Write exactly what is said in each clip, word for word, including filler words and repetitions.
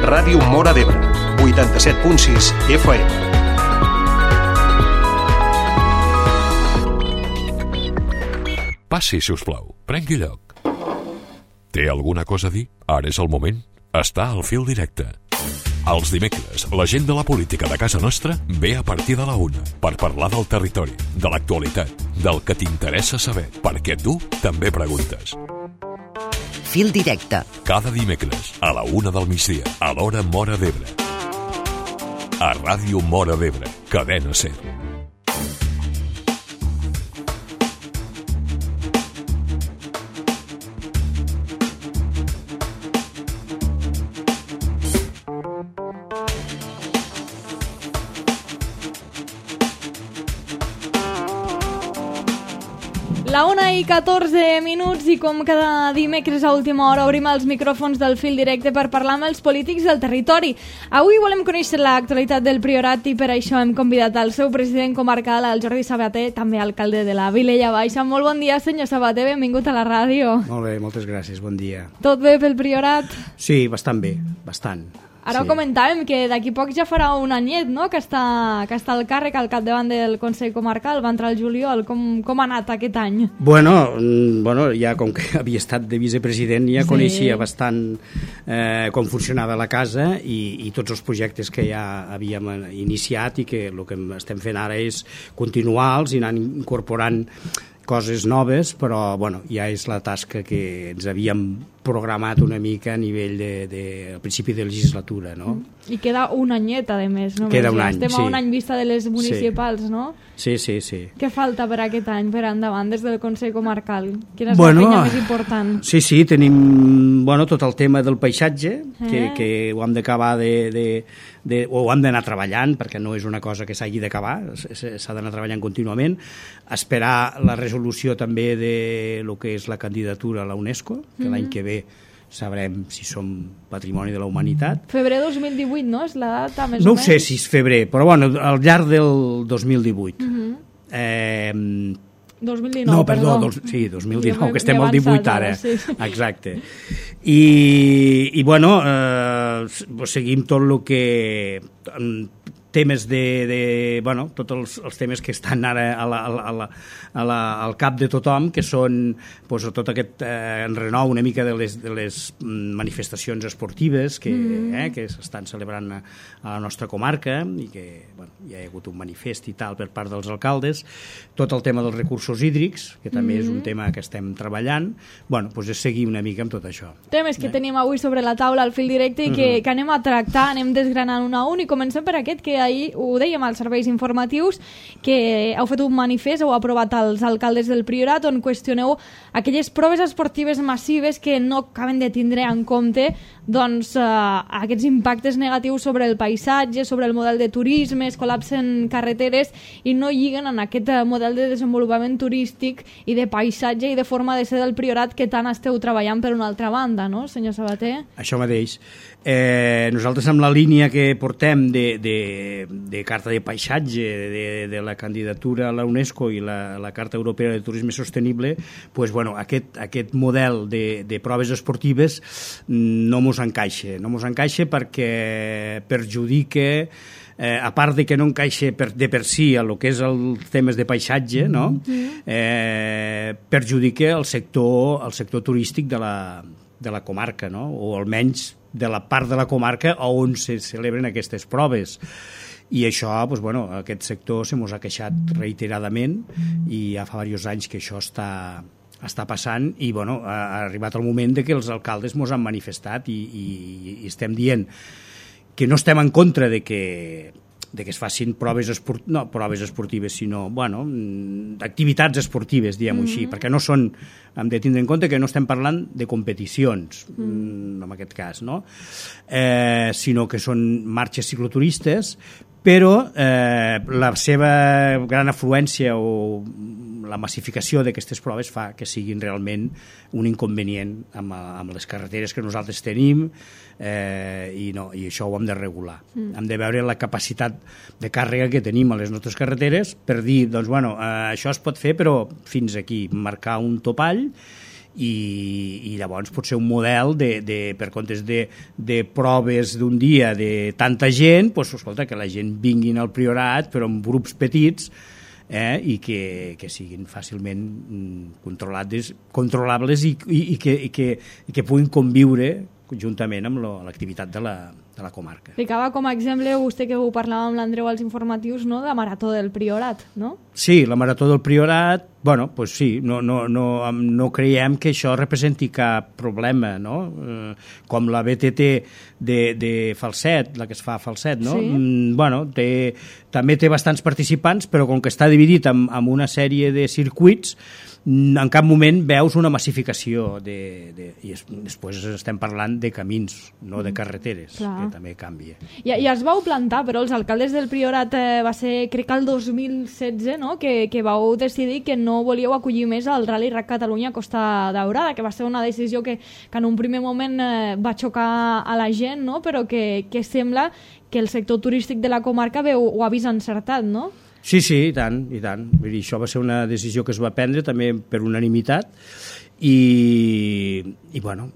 Ràdio Móra d'Ebre, vuitanta-set punt sis F M. Passi, si us plau. Prengui lloc. Té alguna cosa a dir? Ara és el moment. Està al fil directe. Els dimecres, la gent de la política de casa nostra ve a partir de la una per parlar del territori, de l'actualitat, del que t'interessa saber, perquè tu també preguntes. Fil directe. Cada dimecres, a la una del migdia, a l'hora Móra d'Ebre. A Ràdio Móra d'Ebre, Cadena Ser. La una i catorze minuts i com cada dimecres a última hora obrim els micròfons del fil directe per parlar amb els polítics del territori. Avui volem conèixer l'actualitat del Priorat i per això hem convidat el seu president comarcal, el Jordi Sabater, també alcalde de la Vilella Baixa. Molt bon dia, senyor Sabater, benvingut a la ràdio. Molt bé, moltes gràcies, bon dia. Tot bé pel Priorat? Sí, bastant bé, bastant. Ara sí. Ho comentàvem, que d'aquí poc ja farà un anyet, no?, que està, que està al càrrec al capdavant del Consell Comarcal, va entrar el juliol. Com, com ha anat aquest any? Bueno, bueno, ja com que havia estat de vicepresident ja sí. coneixia bastant eh, com funcionava la casa i, i tots els projectes que ja havíem iniciat i que el que estem fent ara és continuar-los i anar incorporant coses noves, però bueno, ja és la tasca que ens havíem programat una mica a nivell de, de, al principi de legislatura, no? I queda un anyet, a més, no? Queda un any, Estem sí. a un any vista de les municipals, sí. no? Sí, sí, sí. Què falta per aquest any, per endavant, des del Consell Comarcal? Quina és bueno, la feina més important? Sí, sí, tenim bueno, tot el tema del paisatge, eh? que, que ho hem d'acabar de, de, de... o ho hem d'anar treballant, perquè no és una cosa que s'hagi d'acabar, s'ha d'anar treballant contínuament, esperar la resolució també de lo que és la candidatura a la UNESCO, que mm-hmm. l'any que ve sabrem si som patrimoni de la humanitat. Febrer dos mil divuit, no? És la data més no o menys? No sé si és febrer, però bueno, al llarg del dos mil divuit. Mm-hmm. Eh, dos mil dinou, no, perdó, perdó. Dos, sí, dos mil dinou, que estem al divuit ara. Sí. Exacte. I, i bueno, eh, seguim tot el que... temes de, de bueno, tots els, els temes que estan ara a la, a la, a la, al cap de tothom, que són pues, tot aquest eh, renou una mica de les, de les manifestacions esportives que, mm. eh, que s'estan celebrant a, a la nostra comarca i que bueno, hi ha hagut un manifest i tal per part dels alcaldes, tot el tema dels recursos hídrics, que també mm. és un tema que estem treballant, bueno, pues és seguir una mica amb tot això. Temes que eh? tenim avui sobre la taula al fil directe i que, mm-hmm. que anem a tractar, anem desgranant un a un i comencem per aquest que ahir ho dèiem als serveis informatius, que heu fet un manifest, heu aprovat els alcaldes del Priorat, on qüestioneu aquelles proves esportives massives que no acaben de tindre en compte doncs, eh, aquests impactes negatius sobre el paisatge, sobre el model de turisme, es col·lapsen carreteres i no lliguen en aquest model de desenvolupament turístic i de paisatge i de forma de ser del Priorat que tant esteu treballant per una altra banda, no, senyor Sabater? Això mateix. Eh, nosaltres amb la línia que portem de, de, de carta de paisatge, de, de la candidatura a la UNESCO i la, la Carta Europea de Turisme Sostenible, pues, bueno, aquest, aquest model de, de proves esportives no mos encaixa. No mos encaixa perquè perjudica, eh, a part de que no encaixa per, de per si a lo que és els temes de paisatge, no? eh, perjudica el sector, el sector turístic de la, de la comarca, no? O almenys de la part de la comarca on se celebren aquestes proves. I això, doncs, bueno, aquest sector se mos ha queixat reiteradament i ja fa diversos anys que això està, està passant i bueno, ha arribat el moment de que els alcaldes mos han manifestat i, i, i estem dient que no estem en contra de que de que es facin proves, esport... no proves esportives, sinó bueno, activitats esportives, diguem-ho mm-hmm. així, perquè no són, hem de tindre en compte que no estem parlant de competicions, mm. en aquest cas, no? Eh, sinó que són marxes cicloturistes, però eh, la seva gran afluència o la massificació d'aquestes proves fa que siguin realment un inconvenient amb, amb les carreteres que nosaltres tenim eh, i, no, i això ho hem de regular. Mm. Hem de veure la capacitat de càrrega que tenim a les nostres carreteres per dir, doncs, bueno, eh, això es pot fer, però fins aquí, marcar un topall i, i llavors pot ser un model de, de, per comptes de, de proves d'un dia de tanta gent, doncs, escolta, que la gent vinguin al Priorat però en grups petits, eh, i que, que siguin fàcilment controlades, controlables i, i, i, que, i, que, i que puguin conviure juntament amb l'activitat de la, de la comarca. Ficava com a exemple, vostè que ho parlava amb l'Andreu als informatius, no?, la Marató del Priorat, no? Sí, la Marató del Priorat, bueno, pues sí, no, no, no, no creiem que això representi cap problema, no? Eh, com la B T T de, de Falset, la que es fa a Falset, no? Sí. Mm, bueno, té, també té bastants participants, però com que està dividit en, en una sèrie de circuits, en cap moment veus una massificació de, de, i es, després estem parlant de camins, no de carreteres, Clar. que també canvia. I, I es vau plantar, però els alcaldes del Priorat eh, va ser, crec que el dos mil setze, no?, que, que vau decidir que no volíeu acollir més el Rally Rac Catalunya Costa Daurada, que va ser una decisió que, que en un primer moment eh, va xocar a la gent, no?, però que, que sembla que el sector turístic de la comarca veu, ho ha vist encertat, no? Sí, sí, i tant, i tant. Vull dir, això va ser una decisió que es va prendre també per unanimitat i, i bueno,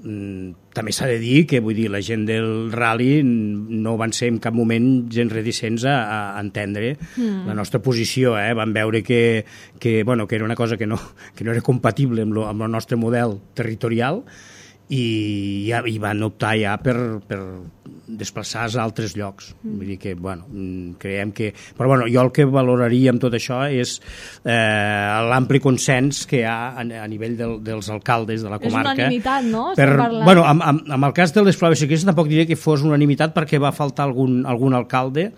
també s'ha de dir que, vull dir, la gent del rally no van ser en cap moment gens reticents a, a entendre mm. la nostra posició, eh? Van veure que, que, bueno, que era una cosa que no, que no era compatible amb, lo, amb el nostre model territorial i, i van optar ja per, per desplaçar-se a altres llocs. Mm. Vull dir que, bueno, creiem que... Però, bueno, jo el que valoraria amb tot això és eh, l'ampli consens que hi ha a, a nivell del, dels alcaldes de la comarca. És unanimitat, no? Per, bueno, amb, amb, amb el cas de les proves ciclistes tampoc diria que fos unanimitat perquè va faltar algun, algun alcalde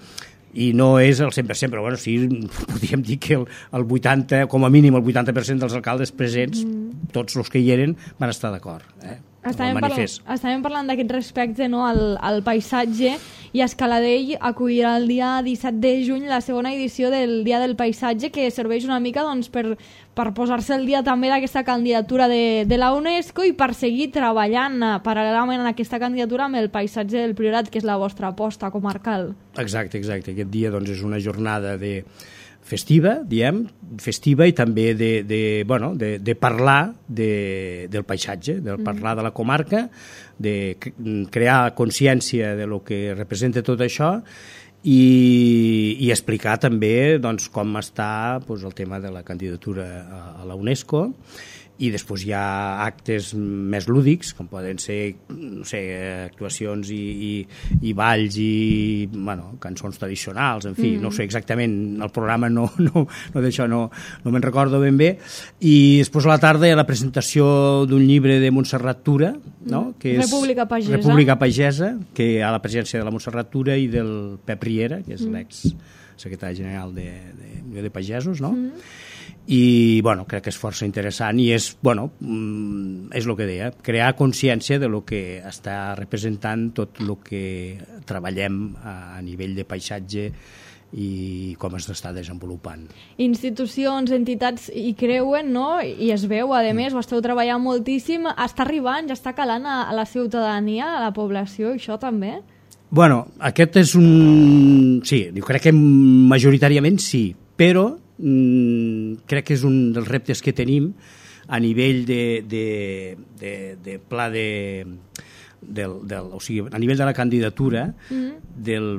i no és el cent per cent, però bueno, sí, podríem dir que el, el vuitanta, com a mínim el vuitanta per cent dels alcaldes presents, mm. tots els que hi eren, van estar d'acord, eh? Estàvem parlant, estàvem parlant d'aquest respecte, no?, al, al paisatge, i Escaladell acollirà el dia disset de juny la segona edició del Dia del Paisatge, que serveix una mica, doncs, per, per posar-se el dia també d'aquesta candidatura de, de la UNESCO i per seguir treballant uh, paral·lelament en aquesta candidatura amb el paisatge del Priorat, que és la vostra aposta comarcal. Exacte, exacte. Aquest dia, doncs, és una jornada de festiva, diem, festiva i també de, de, bueno, de, de parlar de, del paisatge, de parlar de la comarca, de crear consciència de lo que representa tot això i, i explicar també, doncs, com està, doncs, el tema de la candidatura a, a la UNESCO. I després hi ha actes més lúdics, com poden ser, no sé, actuacions i, i, i balls i, bueno, cançons tradicionals, en fi, mm. no sé exactament, el programa no, no, no d'això no, no me'n recordo ben bé. I després a la tarda hi ha la presentació d'un llibre de Montserrat Tura, no? Que és República Pagesa. República Pagesa, que hi ha la presència de la Montserrat Tura i del Pep Riera, que és mm. l'ex-secretari general de, de, de Pagesos, no? Mm. I, bueno, crec que és força interessant i és, bueno, és el que deia, crear consciència de lo que està representant tot el que treballem a nivell de paisatge i com es està desenvolupant. Institucions, entitats hi creuen, no? I es veu, a més, ho esteu treballant moltíssim, està arribant, ja està calant a, a la ciutadania, a la població, això també? Bueno, aquest és un... Sí, jo crec que majoritàriament sí, però mm, crec que és un dels reptes que tenim a nivell de, de, de, de pla de... Del, del, o sigui, a nivell de la candidatura mm-hmm. del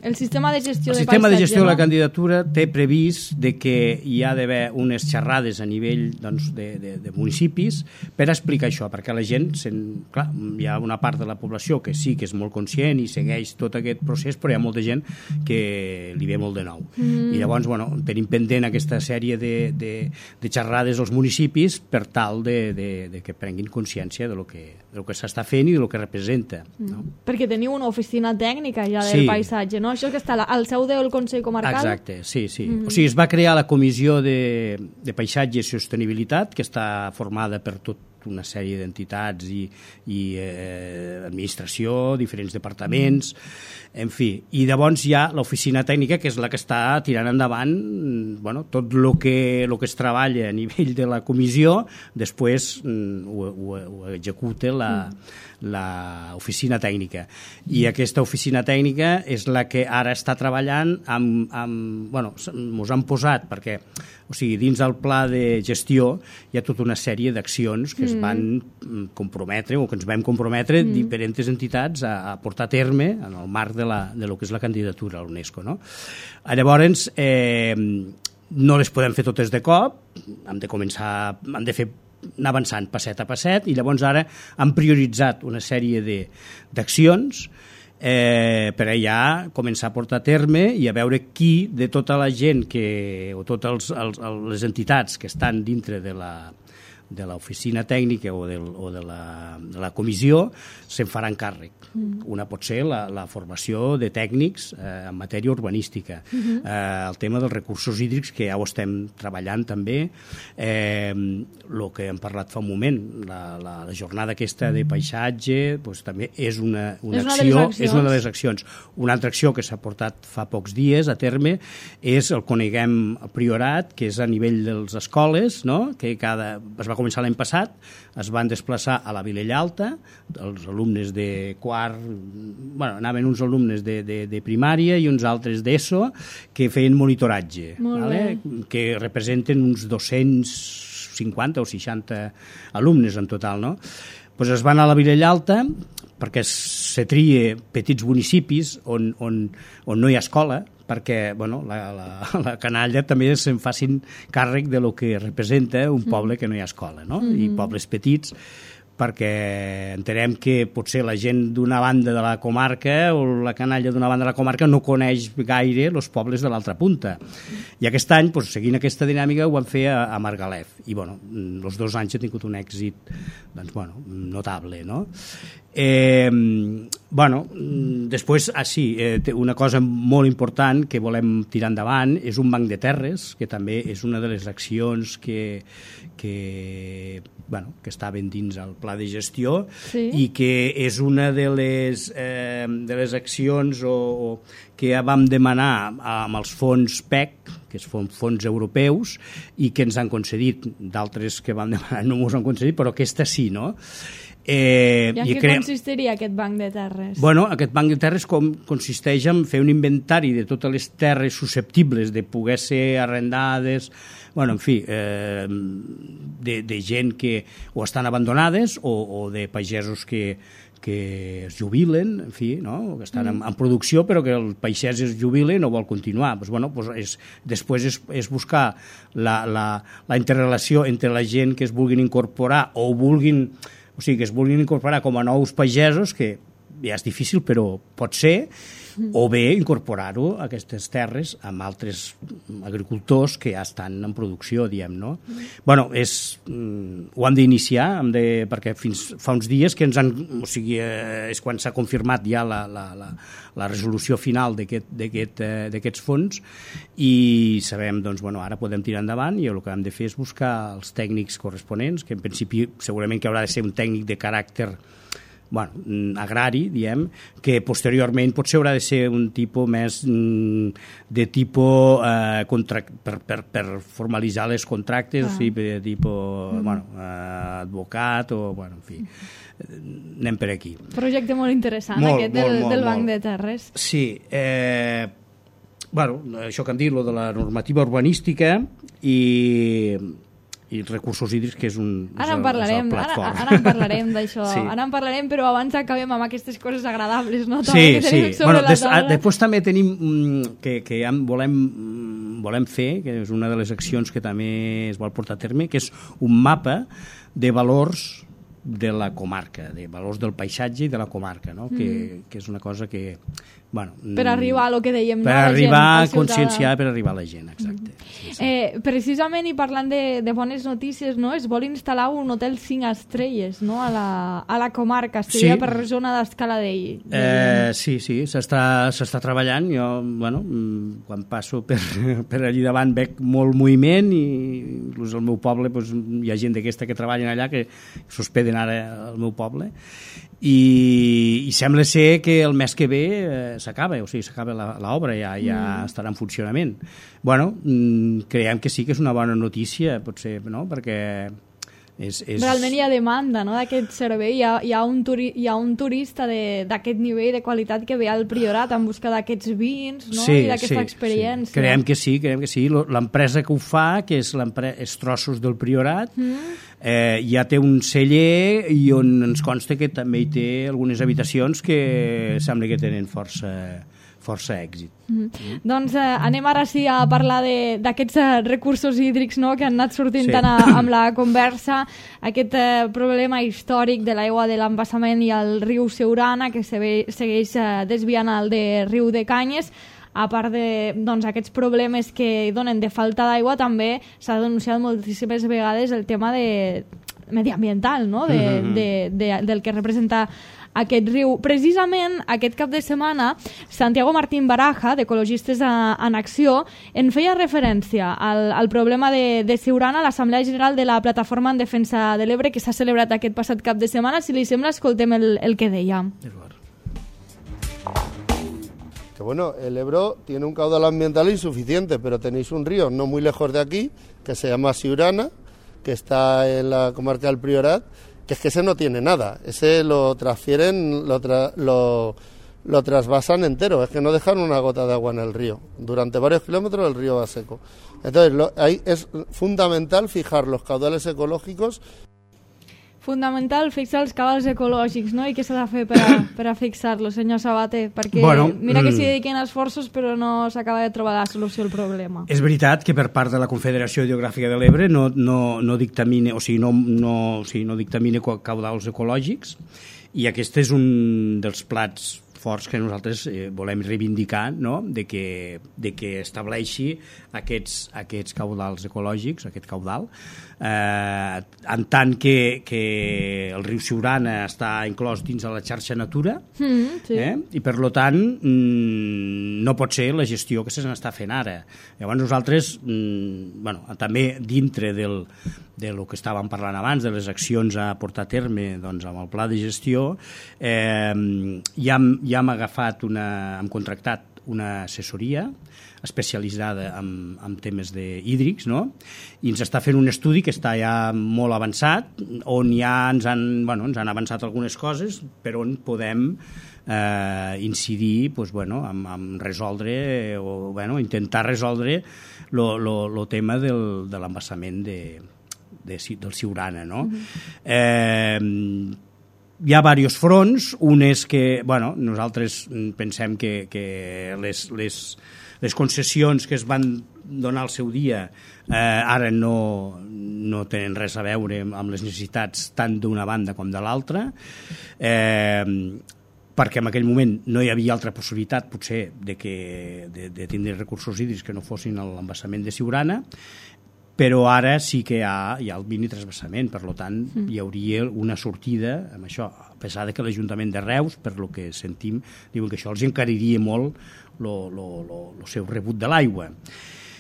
El sistema de gestió el de sistema paisatge, de gestió no? de la candidatura té previst de que hi ha d'haver unes xerrades a nivell, doncs, de, de, de municipis per explicar això, perquè la gent, sen, clar, hi ha una part de la població que sí que és molt conscient i segueix tot aquest procés, però hi ha molta gent que li ve molt de nou. Mm. I llavors, bueno, tenim pendent aquesta sèrie de, de, de xerrades als municipis per tal de, de, de que prenguin consciència de lo que, de lo que s'està fent i de lo que representa. Mm. No? Perquè teniu una oficina tècnica ja del sí. paisatge, no? Això que està al seu del Consell Comarcal? Exacte, sí, sí. Mm-hmm. O sigui, es va crear la Comissió de, de Paisatge i Sostenibilitat, que està formada per tot una sèrie d'entitats i, i eh, administració, diferents departaments, en fi. I llavors hi ha l'oficina tècnica, que és la que està tirant endavant, bueno, tot el que, lo que es treballa a nivell de la comissió, després ho, ho, ho executa la, l'oficina tècnica. I aquesta oficina tècnica és la que ara està treballant amb... amb bueno, ens han posat, perquè o sigui, dins del pla de gestió hi ha tota una sèrie d'accions que mm. es van comprometre o que ens vam comprometre mm. diferents entitats a, a portar a terme en el marc de, la, de lo que és la candidatura a l'UNESCO, no? Llavors, eh, no les podem fer totes de cop, hem de començar, hem de fer anar avançant passet a passet, i llavors ara han prioritzat una sèrie d'accions eh, per allà començar a portar a terme i a veure qui de tota la gent que, o totes els, els, les entitats que estan dintre de la de l'oficina tècnica o, del, o de, la, de la comissió se'n faran càrrec. Mm. Una pot ser la, la formació de tècnics eh, en matèria urbanística, mm-hmm. eh, el tema dels recursos hídrics, que ja ho estem treballant també, eh, el que hem parlat fa un moment, la, la, la jornada aquesta de paisatge, doncs, també és una, una és acció, una és una de les accions. Una altra acció que s'ha portat fa pocs dies a terme és el Coneguem Priorat, que és a nivell de les escoles, no? Que cada, es va començar l'any passat, es van desplaçar a la Vilella Alta, els alumnes de quart, bueno, anaven uns alumnes de, de, de primària i uns altres d'ESO que feien monitoratge, vale? Que representen uns dos-cents cinquanta o seixanta alumnes en total, no? Pues es van a la Vilella Alta perquè se trie petits municipis on, on, on no hi ha escola, perquè bueno, la, la, la canalla també se'n facin càrrec de lo que representa un poble que no hi ha escola, no? Mm-hmm. I pobles petits, perquè entenem que potser la gent d'una banda de la comarca o la canalla d'una banda de la comarca no coneix gaire els pobles de l'altra punta. I aquest any, doncs, seguint aquesta dinàmica, ho vam fer a, a Margalef. I, bueno, els dos anys ha tingut un èxit, doncs, bueno, notable, no? Eh, bueno, després, ah, sí, eh, una cosa molt important que volem tirar endavant és un banc de terres, que també és una de les accions que, que, bueno, que estaven dins el pla de gestió, sí. I que és una de les, eh, de les accions o, o que ja vam demanar amb els fons P E C, que són fons europeus, i que ens han concedit. D'altres que vam demanar no ens han concedit, però aquesta sí, no? Eh, I en què cre... consistiria aquest banc de terres? Bueno, aquest banc de terres com, consisteix en fer un inventari de totes les terres susceptibles de poder ser arrendades, bueno, en fi, eh, de, de gent que o estan abandonades o, o de pagesos que, que es jubilen, en fi, no? Que estan en, en producció però que el pagès es jubila i no vol continuar. Pues, bueno, pues és, després és, és buscar la, la, la interrelació entre la gent que es vulguin incorporar o vulguin, o sigui, que es vulguin incorporar com a nous pagesos, que ja és difícil, però pot ser, o bé incorporar-ho a aquestes terres amb altres agricultors que ja estan en producció, diem, no? Bueno, és, ho hem d'iniciar, hem de, perquè fins fa uns dies que ens han, o sigui, eh, és quan s'ha confirmat ja la, la, la, la resolució final d'aquests aquest, fons, i sabem, doncs, bueno, ara podem tirar endavant i el que hem de fer és buscar els tècnics corresponents, que en principi segurament que haurà de ser un tècnic de caràcter bueno, agrari, diem, que posteriorment potser haurà de ser un tipus més de tipus eh, contract, per, per, per formalitzar les contractes, ah. o sigui, de tipus mm. bueno, eh, advocat o, bueno, en fi, anem per aquí. Projecte molt interessant, molt, aquest molt, del, molt, del Banc molt. de Terres. Sí, eh, bueno, això que hem dit, lo de la normativa urbanística i... i recursos hídrics, que és un ara en parlarem, ara, ara en parlarem d'això, sí. Ara en parlarem, però abans acabem amb aquestes coses agradables, no? Sí, sí. Bueno, des, a, després també tenim que, que ja volem, volem fer, que és una de les accions que també es vol portar a terme, que és un mapa de valors de la comarca, de valors del paisatge i de la comarca, no? Mm. Que, que és una cosa que... Bueno, per arribar a lo que dèiem, per no? arribar a conscienciar, per arribar a la gent, exacte. Mm. Sí, sí. Eh, precisament, i parlant de, de bones notícies, no? Es vol instal·lar un hotel cinc estrelles, no? A la, a la comarca, seria sí. Per zona d'escala d'ell. De... Eh, sí, sí, s'està treballant. Jo, bueno, quan passo per, per allí davant veig molt moviment i inclús al meu poble pues, hi ha gent d'aquesta que treballen allà que s'hospeden ara al meu poble. I, i sembla ser que el mes que ve eh, s'acaba, o sigui, s'acaba l'obra, ja, ja mm. estarà en funcionament. Bueno, creiem que sí que és una bona notícia, potser, no? Perquè És, és... Realment hi ha demanda, no?, d'aquest servei. Hi ha, hi ha, un, turi, hi ha un turista d'aquest nivell de qualitat que ve al Priorat en busca d'aquests vins, no?, sí, i d'aquesta sí, experiència. Sí. Creiem que sí, creiem que sí. L'empresa que ho fa, que és, és Trossos del Priorat, mm. eh, ja té un celler i on ens consta que també hi té algunes habitacions que sembla que tenen força... força èxit. Mm. Mm. Doncs eh, anem ara sí a parlar d'aquests eh, recursos hídrics, no?, que han anat sortint sí. tant a, amb la conversa, aquest eh, problema històric de l'aigua de l'embassament i el riu Siurana, que se ve, segueix eh, desviant el de riu de Canyes. A part de doncs, aquests problemes que donen de falta d'aigua, també s'ha denunciat moltíssimes vegades el tema de mediambiental, no?, de, mm-hmm. de, de, del que representa aquest riu. Precisament aquest cap de setmana, Santiago Martín Baraja, d'Ecologistes en Acció, en feia referència al, al problema de, de Siurana a l'Assemblea General de la Plataforma en Defensa de l'Ebre, que s'ha celebrat aquest passat cap de setmana. Si li sembla, escoltem el, el que deia. Que bueno, el Ebro tiene un caudal ambiental insuficiente, pero tenéis un río no muy lejos de aquí, que se llama Siurana, que está en la comarca del Priorat, que es que ese no tiene nada, ese lo transfieren, lo, tra lo, lo trasvasan entero, es que no dejan una gota de agua en el río, durante varios kilómetros el río va seco. Entonces lo, ahí es fundamental fijar los caudales ecológicos. Fundamental fixar els cabals ecològics, no? I què s'ha de fer per a, per a fixar-los, senyor Sabater? Perquè bueno, mira que s'hi dediquen esforços però no s'acaba de trobar la solució al problema. És veritat que per part de la Confederació Hidrogràfica de l'Ebre no, no, no dictamine, o sigui, no, no, o sigui, no dictamine caudals ecològics, i aquest és un dels plats forts que nosaltres eh, volem reivindicar, no?, de que, de que estableixi aquests, aquests caudals ecològics, aquest caudal, eh, en tant que, que el riu Siurana està inclòs dins de la xarxa Natura, mm, sí. eh? I per lo tant mm, no pot ser la gestió que se n'està fent ara. Llavors nosaltres, mm, bueno, també dintre del de lo que estàvem parlant abans, de les accions a portar a terme doncs, amb el pla de gestió, eh, ja, hem, ja hem agafat una, hem contractat una assessoria especialitzada en, en temes de hídrics, no? I ens està fent un estudi que està ja molt avançat, on ja ens han, bueno, ens han avançat algunes coses, per on podem eh, incidir pues, bueno, en, en resoldre, o bueno, intentar resoldre el tema del, de l'embassament de De, del Siurana, no? Uh-huh. eh, hi ha diversos fronts. Un és que, bueno, nosaltres pensem que, que les, les, les concessions que es van donar al seu dia eh, ara no, no tenen res a veure amb les necessitats tant d'una banda com de l'altra, eh, perquè en aquell moment no hi havia altra possibilitat, potser, de, que, de, de tindre recursos hídrics que no fossin l'embassament de Siurana, però ara sí que hi ha, hi ha el mini transvassament, per tant mm. hi hauria una sortida amb això, a pesar de que l'Ajuntament de Reus, per lo que sentim, diuen que això els encariria molt el seu rebut de l'aigua.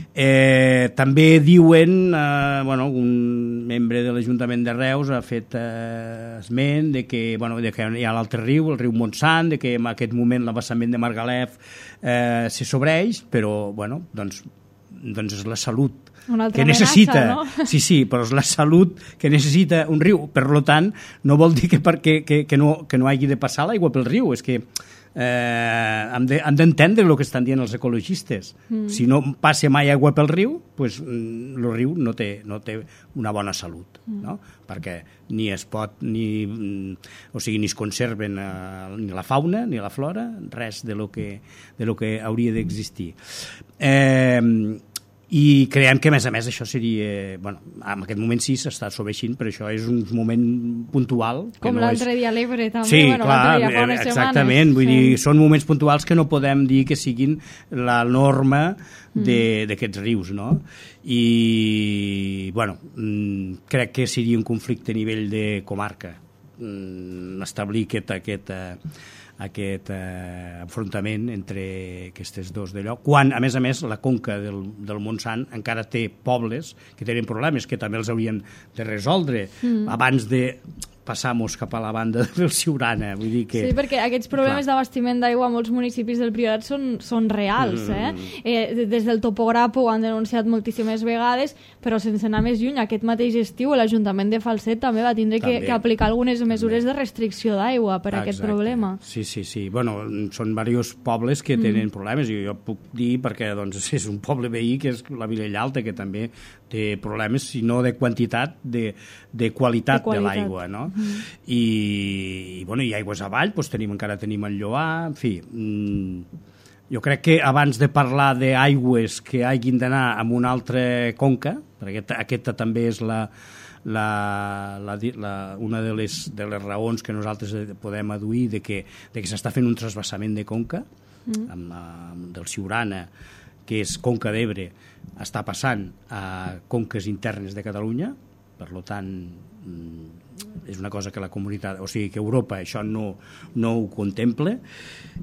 Eh, també diuen, eh, bueno, un membre de l'Ajuntament de Reus ha fet eh, esment de que, bueno, de que hi ha l'altre riu, el riu Montsant, de que en aquest moment l'embassament de Margalef eh, se sobreix, però bueno, doncs, doncs és la salut que necessita, amenaça, no? Sí, sí, però és la salut que necessita un riu. Per tant, no vol dir que, perquè, que, que, no, que no hagi de passar l'aigua pel riu, és que eh, hem d'entendre de, el que estan dient els ecologistes. Mm. Si no passa mai aigua pel riu, pues, el riu no té, no té una bona salut, mm. no? Perquè ni es pot, ni, o sigui, ni es conserven eh, ni la fauna, ni la flora, res de lo que, de lo que hauria d'existir. Eh, i creiem que a més a més això seria, bueno, en aquest moment sí s'està sobreixint, però això és un moment puntual que com no l'altre és... dia a l'Ebre també, sí, bueno, clar, l'altre dia fa unes exactament, setmanes. Vull sí. dir, són moments puntuals que no podem dir que siguin la norma d'aquests rius, no? I bueno, crec que seria un conflicte a nivell de comarca establir aquest, aquest aquest eh, enfrontament entre aquestes dos d'allò, quan, a més a més, la conca del, del Montsant encara té pobles que tenen problemes que també els haurien de resoldre mm. abans de... passamos cap a la banda del Siurana. Vull dir que... Sí, perquè aquests problemes d'abastiment d'aigua a molts municipis del Priorat són, són reals. Eh? Mm. Eh, des del topògraf ho han denunciat moltíssimes vegades, però sense anar més lluny, aquest mateix estiu l'Ajuntament de Falset també va tindre que, que aplicar algunes mesures també. de restricció d'aigua per Exacte. aquest problema. Sí, sí, sí. Bueno, són diversos pobles que tenen mm. problemes, i jo puc dir perquè doncs, és un poble veí que és la Vilella Alta, que també té problemes, si no de quantitat, de, de qualitat de, de l'aigua, no? Mm. I, i, bueno, i aigües avall, doncs tenim, encara tenim el Lloar, en fi... Mm, jo crec que abans de parlar d'aigües que hagin d'anar a una altra conca, perquè aquesta, aquesta també és la, la, la, la, una de les, de les raons que nosaltres podem aduir de que, de que s'està fent un trasbassament de conca, mm. amb, amb, del Siurana, que és Conca d'Ebre, està passant a conques internes de Catalunya, per tant, és una cosa que la comunitat, o sigui, que Europa això no, no ho contempla.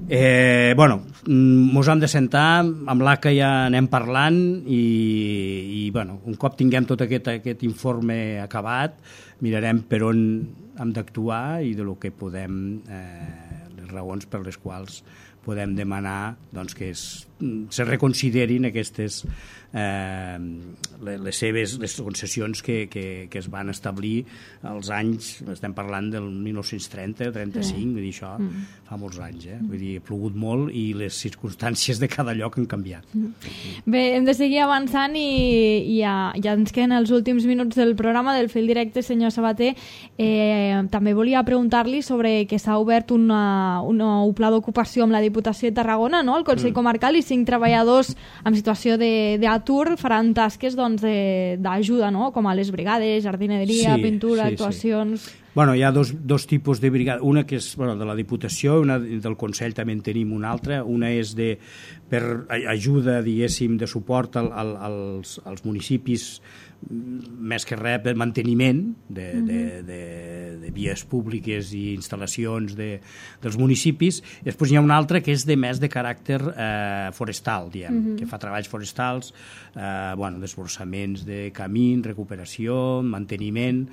Eh, bueno, mos hem de sentar, amb l'A C A ja anem parlant i, i bueno, un cop tinguem tot aquest, aquest informe acabat, mirarem per on hem d'actuar i de lo que podem, eh, les raons per les quals podem demanar doncs, que es, se reconsiderin aquestes eh, les seves les concessions que, que, que es van establir als anys, estem parlant del mil nou-cents trenta, trenta-cinc, sí. Vull dir, això mm. fa molts anys, eh? Vull dir, ha plogut molt i les circumstàncies de cada lloc han canviat. Mm. Bé, hem de seguir avançant i, i ja, ja ens queden els últims minuts del programa del Fil Directe, senyor Sabater. Eh, també volia preguntar-li sobre que s'ha obert una, un nou pla d'ocupació amb la Diputació de Tarragona, no? El Consell mm. Comarcal, i cinc treballadors en situació d'atur faran tasques doncs, d'ajuda, no? Com a les brigades, jardineria, sí, pintura, sí, actuacions... Sí. Bueno, hi ha dos, dos tipus de brigada, una que és bueno, de la Diputació, una del Consell també en tenim una altra, una és de, per ajuda, diguéssim, de suport al, al, als, als municipis, més que res per manteniment de, mm-hmm. de, de, de vies públiques i instal·lacions de, dels municipis. I després hi ha una altra que és de més de caràcter eh, forestal, diguem, mm-hmm. que fa treballs forestals, eh, bueno, desborsaments de camins, recuperació, manteniment,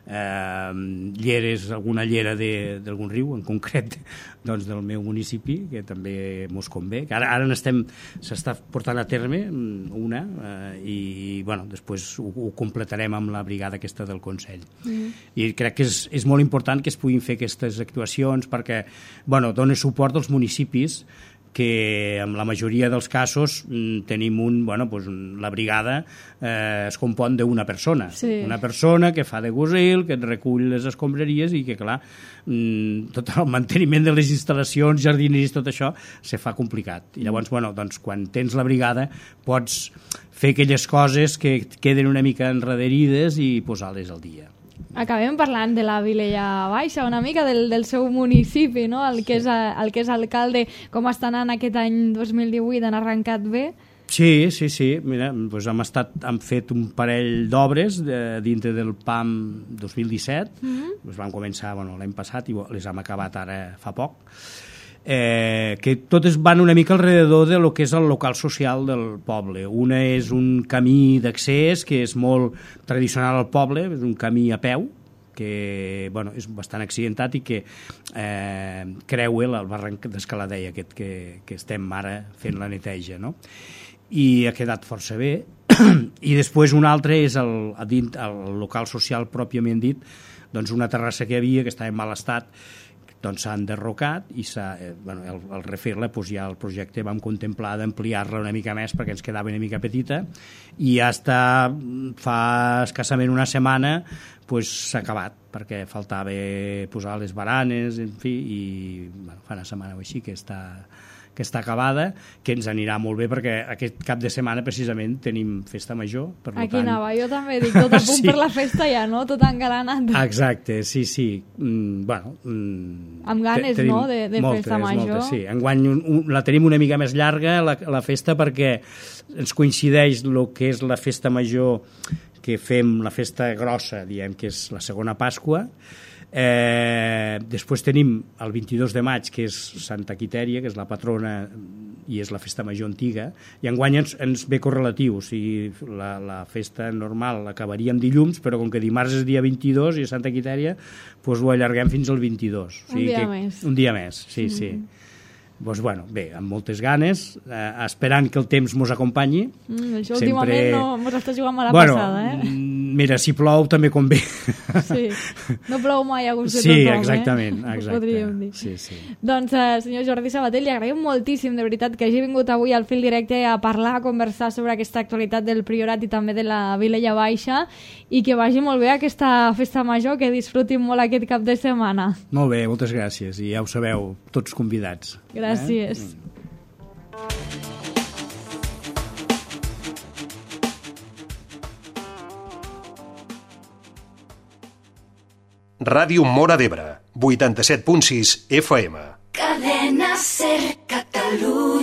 eh, lleres, alguna llera d'algun riu, en concret doncs, del meu municipi, que també mos convé, que ara, ara n'estem, s'està portant a terme una, eh, i bueno, després ho, ho completarem amb la brigada aquesta del Consell. Mm. I crec que és, és molt important que es puguin fer aquestes actuacions perquè, bueno, dona suport als municipis que en la majoria dels casos mm, tenim un, bueno, pues, la brigada eh, es compon d'una persona. Sí. Una persona que fa de gusil, que et recull les escombraries i que, clar, mm, tot el manteniment de les instal·lacions, jardineries, tot això, se fa complicat. I llavors, bueno, doncs, quan tens la brigada, pots fer aquelles coses que queden una mica enrederides i posar-les al dia. Acabem parlant de la Vilella Baixa, una mica del, del seu municipi, no? El, que és, el que és alcalde, com està anant aquest any dos mil divuit, han arrencat bé? Sí, sí, sí. Mira, doncs hem, estat, hem fet un parell d'obres de, dintre del P A M dos mil disset. Mm-hmm. Doncs vam començar bueno, l'any passat i les hem acabat ara fa poc. Eh, que totes van una mica alrededor de lo que és el local social del poble. Una és un camí d'accés que és molt tradicional al poble, és un camí a peu, que bueno, és bastant accidentat i que eh, creua el barranc d'Escaladella, aquest que, que estem ara fent la neteja, no? I ha quedat força bé. I després un altre és el, el local social pròpiament dit, doncs una terrassa que hi havia que estava en mal estat, doncs s'ha enderrocat i s'ha, eh, bueno, el, el refer-la, doncs ja el projecte vam contemplar d'ampliar-la una mica més perquè ens quedava una mica petita i ja està, fa escassament una setmana doncs s'ha acabat perquè faltava posar les baranes, en fi, i bueno, fa una setmana o així que està que està acabada, que ens anirà molt bé perquè aquest cap de setmana precisament tenim festa major. Per Aquí tant... anava, jo també dic, tot a punt sí. Per la festa ja, no? Tot engalanat. Exacte, sí, sí. Mm, bueno, mm, amb ganes, no?, de, de moltes, festa major. Moltes, sí. Enguany un, un, la tenim una mica més llarga, la, la festa, perquè ens coincideix el que és la festa major que fem, la festa grossa, diem, que és la segona Pasqua. Eh, després tenim el vint-i-dos de maig, que és Santa Quitèria, que és la patrona i és la festa major antiga, i enguany ens, ens ve correlatiu, o sigui, la, la festa normal acabaria amb dilluns, però com que dimarts és dia vint-i-dos i a Santa Quitèria, doncs ho allarguem fins al vint-i-dos. O sigui un dia que, més. Un dia més, sí, mm. sí. Doncs, bueno, bé, amb moltes ganes, eh, esperant que el temps mos acompanyi. Mm, això Sempre... últimament no mos està jugant a la bueno, passada, eh? Mira, si plou també convé. Sí, no plou mai a gust de sí, tothom, exactament, eh? exacte. Podríem dir. Sí, sí. Doncs, eh, senyor Jordi Sabater, li agraïm moltíssim, de veritat, que hagi vingut avui al Fil Directe a parlar, a conversar sobre aquesta actualitat del Priorat i també de la Vilella Baixa, i que vagi molt bé aquesta festa major, que disfrutin molt aquest cap de setmana. Molt bé, moltes gràcies, i ja ho sabeu, tots convidats. Gràcies. Eh? Ràdio Móra d'Ebre, vuitanta-set punt sis F M. Cadena Ser Catalunya.